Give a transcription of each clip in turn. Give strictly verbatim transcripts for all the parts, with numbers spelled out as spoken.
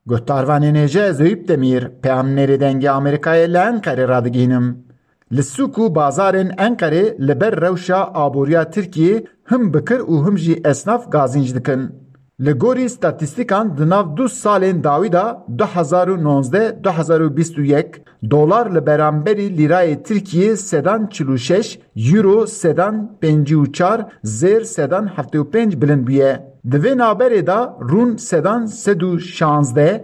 Guhdarvanên hêja, ez Eyüp Demîr, peyamnêrê Dengê Amerîkayê li Enqerê radigihînim. Li sûk û bazarên Enqerê li ber rewşa aboriya Tirkiyê him bikir û him jî esnaf gazînc dikin. Li gorî statîstîkan di nav du salên dawî de, du hezar û nozdeh, du hezar û bîst û yek, dolar li beramberî lîrayê Tirkiyê sedan çil û şeş, euro sedan pêncî û çar, zêr sedan heftê û pênc bilind bûye. Di vê navberê de rûn sedan sed û şazdeh,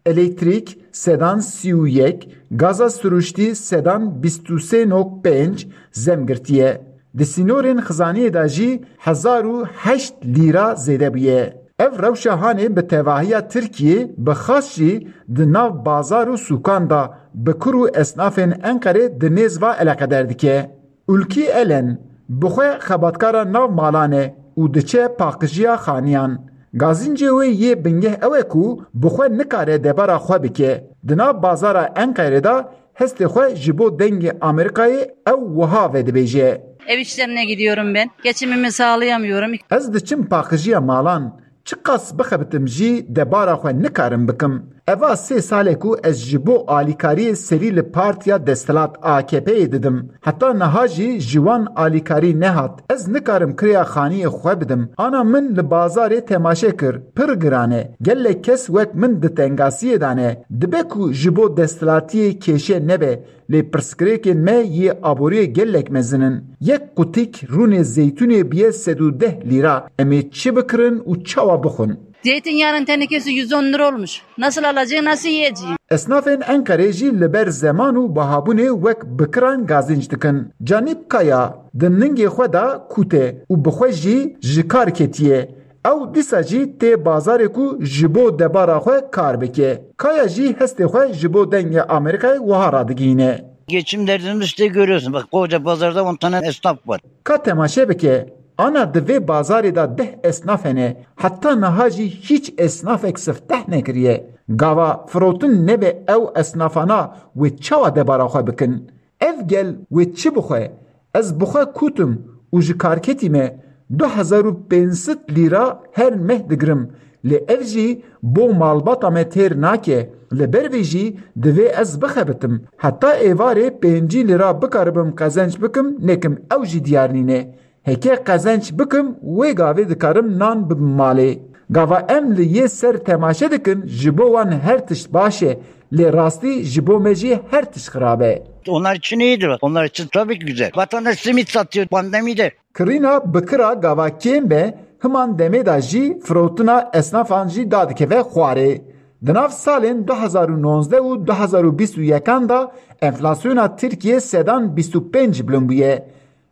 elektrîk sedan sî û yek, gaza siruştî sedan bîst û sê nokta pênc zem girtiye. Di sînorên xizaniyê de jî hezar û heşt lîra zêde bûye. Ev rewşa hanê bi tevahiya Tirkiyê, bi xas jî di nav bazar û sûkan de bi kur û esnafên Enqerê di nêz ve eleqeder dike. Ulkî Elen bi xwe xebatkara nav malan e û diçe paqijiya xaniyan. Gazîncê wê yê bingeh ew e ku bi xwe nikare debara xwe bike. Di nav bazara Enqerê de hestê xwe ji bo Dengê Amerîkayê ew wiha vedibêje. Ev işlerine gidiyorum ben. Geçimimi sağlayamıyorum. Ez diçim paqijiya malan. Çiqas bixebitim jî debara xwe nikarim bikim. Eva sê sal e ku ez ji bo alîkariyê serî li partiya desthilat A K P'yê didim. Heta niha jî ji wan alîkarî nehat. Ez nikarim kirêya xaniyê xwe bidim. Ana min li bazarê temaşe kir. Pir giran e. Gelek kes wek min di tengasiyê de ne. Dibe ku ji bo desthilatiyê kêşe nebe. Lê pirsgirêkên me yê aboriyê gelek mezin in. Yek qutîk rûnê zeytûnê biye sed û deh lîra. Em ê çi bikirin û çawa bixwin? Zeytinyağının tenekesi yüz on lira olmuş. Nasıl alacağım, nasıl yiyeceğim? Esnafên Enqerê jî li ber zeman û bihabûnê wek bikiran gazînc dikin. Canîb Kaya di ningê xwe de kût e û bi xwe jî ji kar ketiye. Ew dîsa jî tê bazarê ku ji bo debara xwe kar bike. Kaya jî hestê xwe ji bo Dengê Amerîkayê wiha radigihîne. Geçim derdini işte görüyorsun. Bak, koca pazarda on tane esnaf var. Ka temaşe bike, ana di vê bazarê de deh esnaf hene. Heta niha jî hîç esnafek sifteh nekiriye. Gava firotin nebe ew esnafana wê çawa debara xwe bikin? Ev gel wê çi bixwe? Ez bixwe kûtim û ji karketî me du hezar û pênc sed lîra her meh digirim. Lê ev jî bo malbata me têr nake. Li ber vê jî divê ez bixebitim. Heta êvarê pêncî lîra bikaribim qezenc bikim, nekim ew jî diyar nîne. Heke qezenc bikim, wê gavê dikarim nan bibim malê. Gava em li yê ser temaşe dikin, ji bo wan her tişt baş e, lê rastî ji bo me jî her tişt xirab e. Onlar için iyidir. Onlar için tabii ki güzel. Vatandaş simit satıyor pandemide. Kirîna bikira gava kêm be, himan demê de jî firotina esnafan jî dadikeve xwarê. Di nav salên du hezar û nozdeh û du hezar û bîst û yekan de enflasyona Tirkiyê sedan bîst û pênc bilind bûye.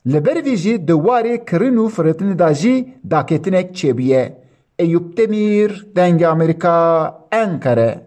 Li ber vî jî di warê kirin û firotinê de jî daketinek çêbûye. Eyûp Demîr, Dengê Amerîka, Enqere.